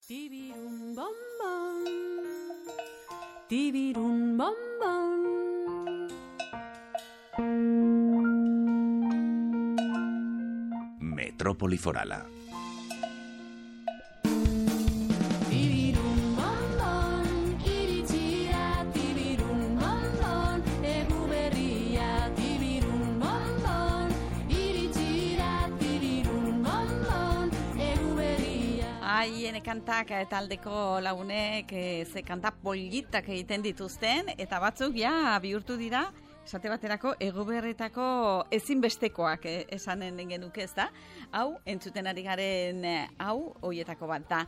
Tibirun bom bom, tibirun bom bom. Metrópoli Forala. Haien kantak taldeko lagunek ze kanta politak egiten dituzten, eta batzuk ja bihurtu dira, esate baterako Eguberritako ezinbestekoak esanen genuke, ez da? Hau, entzuten ari garen hau, hoietako bat da,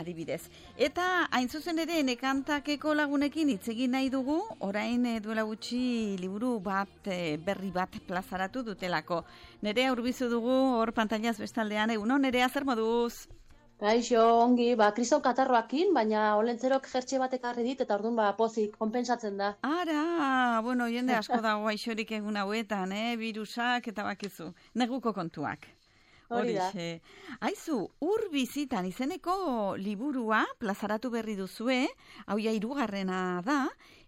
adibidez. Eta hain zuzen ere, nekantakeko lagunekin hitz egin nahi dugu, orain duela gutxi liburu bat, berri bat plazaratu dutelako. Nerea urbizu dugu, hor pantailaz bestaldean, egunon, Nerea, zer moduz? Kaixo, ongi, kriston katarroakin, baina olentzerok jertxe bat ekarri dit, eta orduan pozik, konpensatzen da. Ara, bueno, jende asko dago aixorik egun hauetan, virusak eta bakizu, neguko kontuak. Hori da. Aizu, Ur bizitan izeneko liburua plazaratu berri duzue, hau ja 3. da,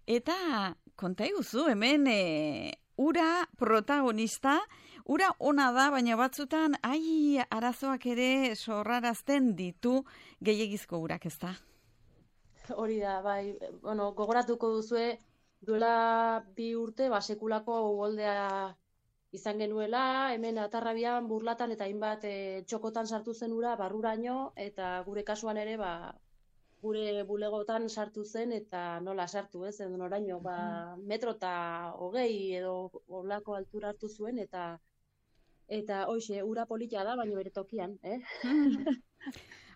eta konta iguzu, hemen ura protagonista, ura ona da, baina batzutan, arazoak ere sorrarazten ditu gehiegizko urak, ez da? Hori da, bai, bueno, gogoratuko duzue, duela 2 urte, sekulako uholdea izan genuela, hemen Atarrabian, Burlatan eta hainbat txokotan sartu zen ura, barruraino, eta gure kasuan ere, gure bulegotan sartu zen, eta nola sartu, ez, oraino, 1,20 metro edo olako altura hartu zuen, eta hoxe, ura polita da, baina bere tokian,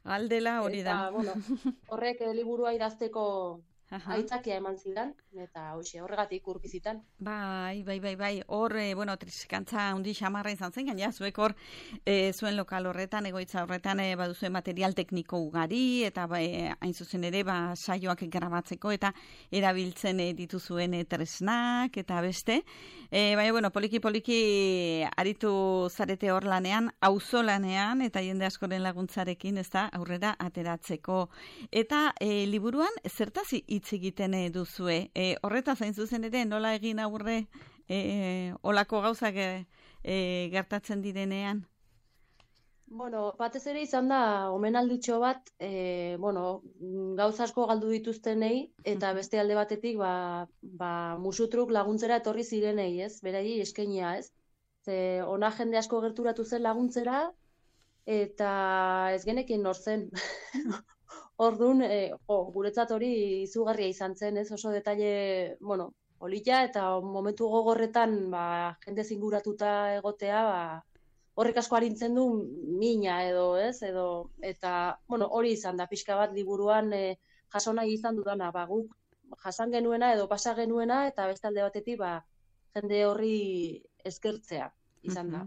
Aldela hori da. Eta, bueno, horrek liburua idazteko aitzakia eman zidan, eta hoxe, horregatik Ur bizitan. Bai. Hor, bueno, triskantza handi xamarra izan zen, gaina zuek hor zuen lokal horretan, egoitza horretan baduzue material tekniko ugari, eta hain zuzen ere saioak grabatzeko, eta erabiltzen dituzuen tresnak, eta beste. Baina, bueno, poliki aritu zarete hor lanean, auzolanean, eta jende askoren laguntzarekin, ez da, aurrera ateratzeko. Eta liburuan, zertaz hitz egiten duzue. Horretaz hain zuzen ere, nola egin aurre olako gauzak gertatzen direnean? Bueno, batez ere izan da, omenalditxo bat, gauza asko galdu dituztenei, eta beste alde batetik, musutruk laguntzera etorri zirenei, ez? Berei eskainia, ez? Ze ona jende asko gerturatu zen laguntzera, eta ez genekin nor zen. Orduan, guretzat hori izugarria izan zen, ez? Oso detaile, polita, eta momentu gogorretan, jende zinguratuta egotea, horrek asko arintzen du mina edo, ez? Eta, hori izan da, pixka bat liburuan jaso nahi izan dudana, guk jasan genuena edo pasa genuena, eta beste alde batetik, jende horri eskertzea.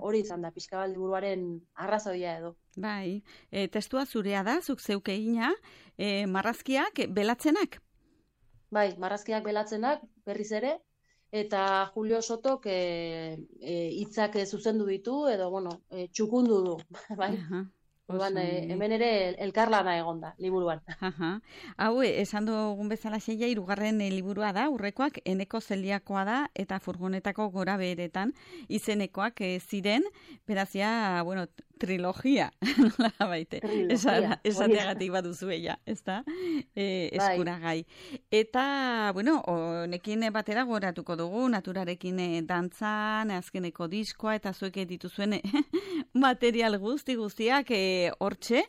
Hori izan da, pixka bat liburuaren arrazoia edo. Bai, testua zurea da, zuk zeuk egina, marrazkiak belatzenak? Bai, marrazkiak belatzenak, berriz ere, eta Julio Sotok hitzak zuzendu ditu, edo, txukundu du, bai? Hemen ere elkarlana egon da, liburuan. Hau, esan dugun bezala 3. liburua da, Urrekoak Eneko Zeliakoa da, eta furgonetako gora beheretan izenekoak ziren, berazia, trilogia, nola baite, esateagatik baduzu ella, ez da? Eskuragai. Eta, honekin batera goratuko dugu, naturarekin dantzan, azkeneko diskoa, eta zuek dituzuen material guztiak hortxe,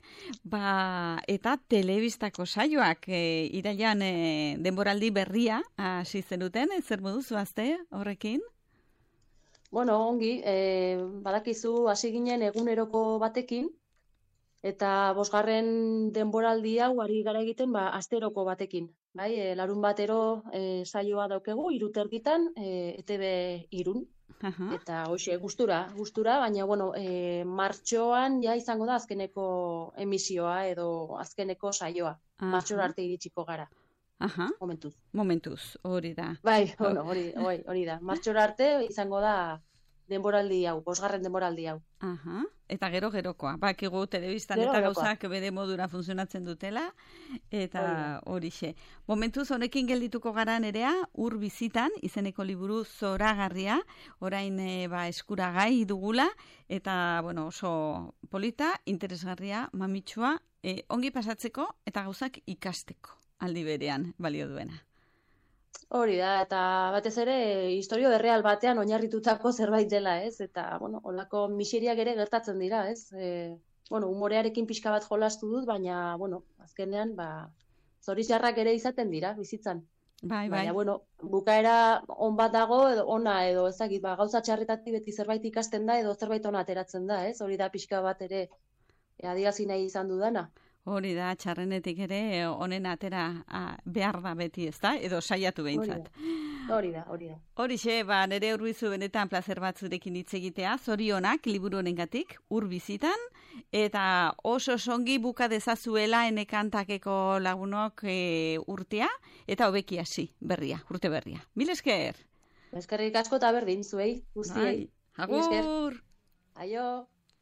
eta telebistako saioak irailan denboraldi berria hasi zenuten, zer moduzu azte horrekin? Ongi, badakizu hasi ginen eguneroko batekin, eta 5. denboraldi hau ari gara egiten asteroko batekin. Larun batero saioa daukegu, 3:30, ETB Irun. Eta hoxe, gustura, baina, martxoan ja izango da azkeneko emisioa edo azkeneko saioa. Martxora arte iritsiko gara. Momentuz, hori da. Bai, hori da. Martxora arte izango da denboraldi hau, 5. denboraldi hau. Aha. Eta gero-gerokoa. Bakigu telebistan eta Gero-gerokoa. gauzak bere modura funtzionatzen dutela. Eta horixe. Momentuz honekin geldituko gara Nerea, Ur bizitan, izeneko liburu zoragarria, orain eskuragai dugula, eta bueno, oso polita, interesgarria, mamitsua, ongi pasatzeko eta gauzak ikasteko aldi berean balio duena. Hori da, eta batez ere historio erreal batean oinarritutako zerbait dela, ez? Eta, bueno, holako miseriak ere gertatzen dira, ez? Bueno, humorearekin pixka bat jolastu dut, baina, bueno, azkenean, zoritxarrak ere izaten dira, bizitzan. Bai. Baina, bueno, bukaera on bat dago, edo ona, edo ezagit, gauza txarretatik beti zerbait ikasten da, edo zerbait ona ateratzen da, ez? Hori da pixka bat ere adierazi nahi izan dudana. Hori da, txarrenetik ere, honen atera behar da beti, ez da? Edo saiatu behintzat. Hori da. Horixe, Nere Urbizu benetan plazer bat zurekin hitz egitea, zorionak liburu honengatik, Ur bizitan, eta oso songi buka dezazuela enekantakeko lagunok urtea, eta hobeki hasi berria, urte berria. Mil esker! Eskerrik asko eta berdin zuei, guztiei. Agur! Aio!